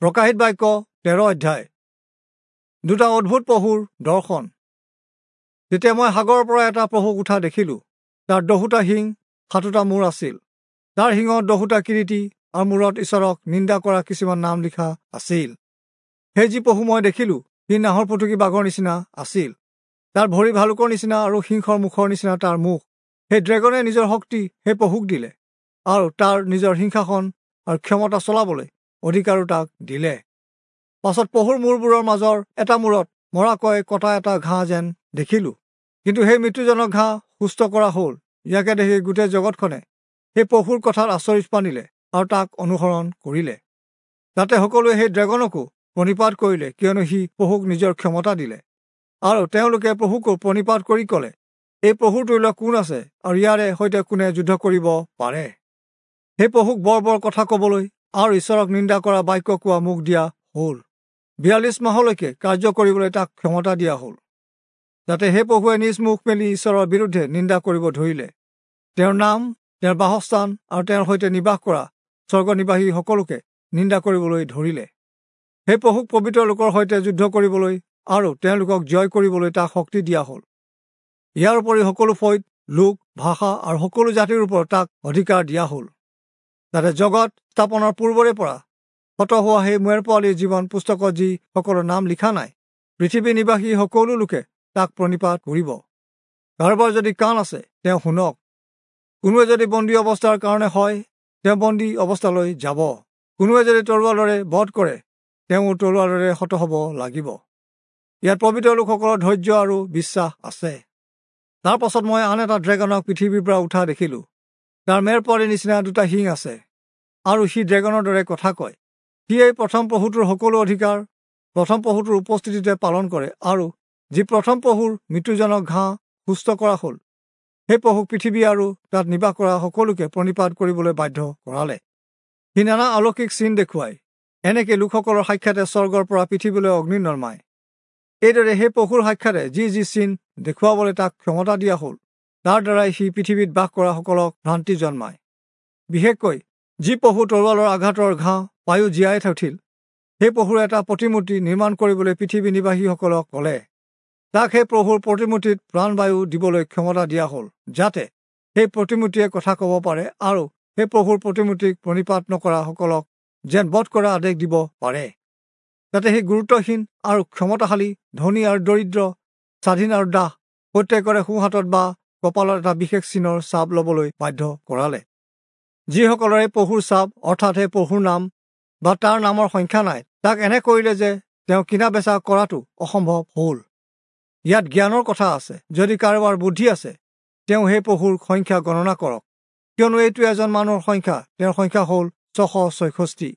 প্ৰকাশিত বাক্য 13 অধ্যায়। দুটা অদ্ভুত পশুৰ দৰ্শন। তেতিয়া মই সাগৰৰ পৰা এটা পশুক উঠা দেখিলোঁ। তাৰ 10টা শিং, 7টা মূৰ আছিল। তাৰ শিঙত 10টা কিৰীটি আৰু মূৰত ঈশ্বৰক নিন্দা কৰা কিছুমান নাম লিখা আছিল। সেই যি পশু মই দেখিলোঁ, সি নাহৰ ফুটুকী বাঘৰ নিচিনা আছিল। তাৰ ভৰি ভালুকৰ নিচিনা আৰু সিংহৰ মুখৰ নিচিনা তাৰ মুখ। সেই ড্ৰেগনে নিজৰ শক্তি সেই পশুক দিলে আৰু তাৰ নিজৰ সিংহাসন আৰু ক্ষমতা চলাবলৈ অধিকাৰো তাক দিলে। পাছত পশুৰ মূৰবোৰৰ মাজৰ এটা মূৰত মৰাকৈ কটা এটা ঘাঁহ যেন দেখিলোঁ, কিন্তু সেই মৃত্যুজনক ঘাঁহ সুস্থ কৰা হ'ল। ইয়াকে দেখি গোটেই জগতখনে সেই পশুৰ কথাত আচৰিত মানিলে আৰু তাক অনুসৰণ কৰিলে। তাতে সকলোৱে সেই ড্ৰেগনকো প্ৰণিপাত কৰিলে, কিয়নো সি পশুক নিজৰ ক্ষমতা দিলে। আৰু তেওঁলোকে পশুকো প্ৰণিপাত কৰি ক'লে, এই পশুৰ তুল্য কোন আছে আৰু ইয়াৰে সৈতে কোনে যুদ্ধ কৰিব পাৰে? সেই পশুক বৰ বৰ কথা ক'বলৈ আৰু ঈশ্বৰক নিন্দা কৰা বাক্য কোৱা মুখ দিয়া হ'ল। 42 মাহলৈকে কাৰ্য কৰিবলৈ তাক ক্ষমতা দিয়া হ'ল। যাতে সেই পশুৱে নিজ মুখ মেলি ঈশ্বৰৰ বিৰুদ্ধে নিন্দা কৰিব ধৰিলে। তেওঁৰ নাম, তেওঁৰ বাসস্থান আৰু তেওঁৰ সৈতে নিবাস কৰা স্বৰ্গ নিবাসী সকলোকে নিন্দা কৰিবলৈ ধৰিলে। সেই পশুক পবিত্ৰ লোকৰ সৈতে যুদ্ধ কৰিবলৈ আৰু তেওঁলোকক জয় কৰিবলৈ তাক শক্তি দিয়া হ'ল। ইয়াৰ উপৰি সকলো ফৈদ, লোক, ভাষা আৰু সকলো জাতিৰ ওপৰত তাক অধিকাৰ দিয়া হ'ল। যাতে জগত স্থাপনৰ পূৰ্বৰে পৰা হত হোৱা সেই মেৰ পোৱালীৰ জীৱন পুস্তকত যি সকলৰ নাম লিখা নাই, পৃথিৱী নিবাসী সকলো লোকে তাক প্ৰণিপাত কৰিব। কাৰোবাৰ যদি কাণ আছে, তেওঁ শুনক। কোনোৱে যদি বন্দী অৱস্থাৰ কাৰণে হয়, তেওঁ বন্দী অৱস্থালৈ যাব। কোনোৱে যদি তৰোৱালেৰে বধ কৰে, তেওঁ তৰোৱালেৰে হত হ'ব লাগিব। ইয়াত পবিত্ৰ লোকসকলৰ ধৈৰ্য আৰু বিশ্বাস আছে। তাৰ পাছত মই আন এটা ড্ৰেগনক পৃথিৱীৰ পৰা উঠা দেখিলোঁ। তাৰ মেৰ পোৱালীৰ নিচিনা দুটা শিং আছে আৰু সি ড্ৰেগনৰ দৰে কথা কয়। সি এই প্ৰথম পশুটোৰ সকলো অধিকাৰ প্ৰথম পশুটোৰ উপস্থিতিতে পালন কৰে আৰু যি প্ৰথম পশুৰ মৃত্যুজনক ঘাঁহ সুস্থ কৰা হ'ল, সেই পশুক পৃথিৱী আৰু তাত নিবাস কৰা সকলোকে প্ৰণিপাত কৰিবলৈ বাধ্য কৰালে। সি নানা অলৌকিক চিন দেখুৱায়, এনেকৈ লোকসকলৰ সাক্ষাতে স্বৰ্গৰ পৰা পৃথিৱীলৈ অগ্নি নমায়। এইদৰে সেই পশুৰ সাক্ষাতে যি যি চিন দেখুৱাবলৈ তাক ক্ষমতা দিয়া হ'ল, তাৰ দ্বাৰাই সি পৃথিৱীত বাস কৰা সকলক ভ্ৰান্তি জন্মায়। বিশেষকৈ যি পশু তৰোৱালৰ আঘাতৰ ঘাঁহ পায়ো জীয়াই উঠিল, সেই পশুৰ এটা প্ৰতিমূৰ্তি নিৰ্মাণ কৰিবলৈ পৃথিৱী নিবাসীসকলক ক'লে। তাক সেই পশুৰ প্ৰতিমূৰ্তিত প্ৰাণবায়ু দিবলৈ ক্ষমতা দিয়া হ'ল, যাতে সেই প্ৰতিমূৰ্তিয়ে কথা ক'ব পাৰে আৰু সেই পশুৰ প্ৰতিমূৰ্তিক প্ৰণিপাত নকৰা সকলক যেন বধ কৰা আদেশ দিব পাৰে। যাতে সেই গুৰুত্বহীন আৰু ক্ষমতাশালী, ধনী আৰু দৰিদ্ৰ, স্বাধীন আৰু দাস প্ৰত্যেকৰে সোঁহাতত বা কপালত এটা বিশেষ চিনৰ চাপ ল'বলৈ বাধ্য কৰালে। যিসকলৰে পশুৰ চাপ, অৰ্থাৎ সেই পশুৰ নাম বা তাৰ নামৰ সংখ্যা নাই, তাক এনে কৰিলে যে তেওঁ কিনা বেচা কৰাটো অসম্ভৱ হ'ল। ইয়াত জ্ঞানৰ কথা আছে। যদি কাৰোবাৰ বুদ্ধি আছে, তেওঁ সেই পশুৰ সংখ্যা গণনা কৰক, কিয়নো এইটো এজন মানুহৰ সংখ্যা। তেওঁৰ সংখ্যা হ'ল 666।